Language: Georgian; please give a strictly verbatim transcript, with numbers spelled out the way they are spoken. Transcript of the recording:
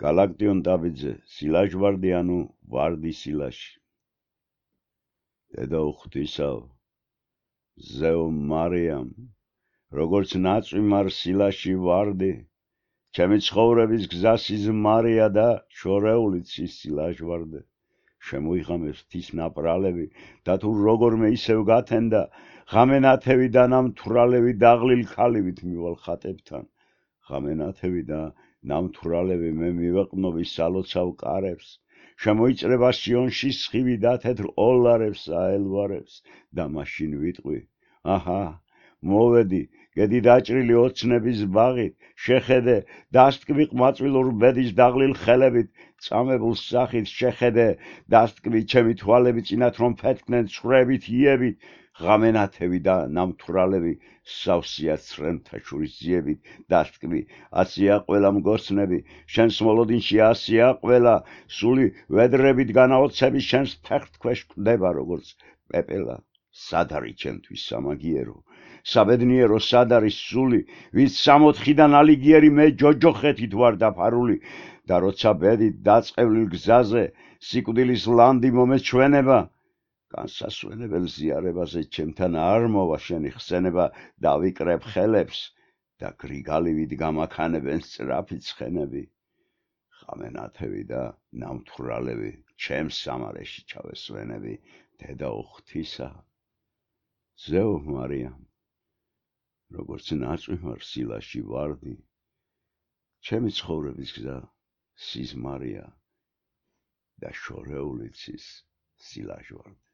გალაქტიონ დაბიძე, სილაჟვარდი ანუ ვარდი სილაში. დედა უხვთისავ, ზეო მარიამ, როგორც ნაწვი მარ სილაში ვარდი, ჩემი ცხოვრების გზა სიზმარია და შორეულიც ის სილაჟვარდე. შემოიღამებს ღვთის ნაპრალები და თუ როგორმე ისევ გათენდა, ღამენათევი და ნამთვრალევი დაღლილ ქალივით მივალ ხატებთან. ღამენათევი და ნამთვრალევი მე მივეყნობი სალოცავ კარებს, შემოიჭრება სიონში სხივი და თეთრ ოლარებს აელვარებს და მაშინ ვიტყვი, აჰა, მოვედი, გედი დაჭრილი ოცნების ბაღით, შეხედე, დასტკბი ყმაწვილურ ბედის დაღლილ ხელებით, წამებულ სახით შეხედე, დასტკბი ჩემი თვალები წინათ რომ ფეთქნენ ცხრებით იებით, ღამენათევი და ნამთვრალევი სავსეა ცრემთა შორის ძიებით, დასტკბი, ასია ყველა მგოსნები, შენს მოლოდინში ასია ყველა, სული ვედრებით განაოცები შენს ფეხთქვეშ კვდება როგორც პეპელა, სად არის ჩემთვის სამაგიერო, საბედნიერო სად არის სული, ვის სამოთხიდან ალიგიერი მე ჯოჯოხეთით ვარ დაფარული და როცა ბედით დაწყევლილ გზაზე სიკვდილის ლანდი მომეჩვენება, განსასვენებელ ზიარებაზე ჩემთან არ მოვა შენი ხსენება, დავიკრებ ხელებს და გრიგალივით გამაქანებენ სწრაფი ცხენები. ღამენათევი და ნამთვრალევი ჩემს სამარეში ჩავესვენები, დედა უხვთისა. ზეო მარიამ, როგორც ნაწვი მარ სილაში ვარდი, ჩემი ცხოვრების გზა სიზმარია და შორეულიც ის სილაჟვარდე.